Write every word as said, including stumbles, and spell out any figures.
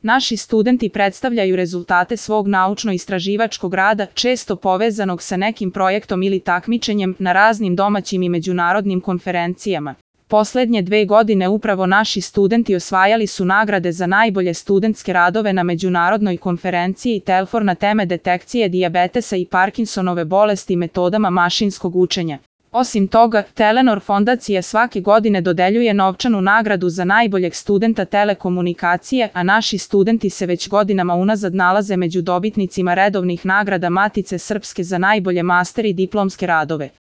Naši studenti predstavljaju rezultate svog naučno-istraživačkog rada, često povezanog sa nekim projektom ili takmičenjem na raznim domaćim i međunarodnim konferencijama. Poslednje dve godine upravo naši studenti osvajali su nagrade za najbolje studentske radove na međunarodnoj konferenciji Telfor na teme detekcije dijabetesa i Parkinsonove bolesti metodama mašinskog učenja. Osim toga, Telenor fondacija svake godine dodeljuje novčanu nagradu za najboljeg studenta telekomunikacije, a naši studenti se već godinama unazad nalaze među dobitnicima redovnih nagrada Matice Srpske za najbolje master i diplomske radove.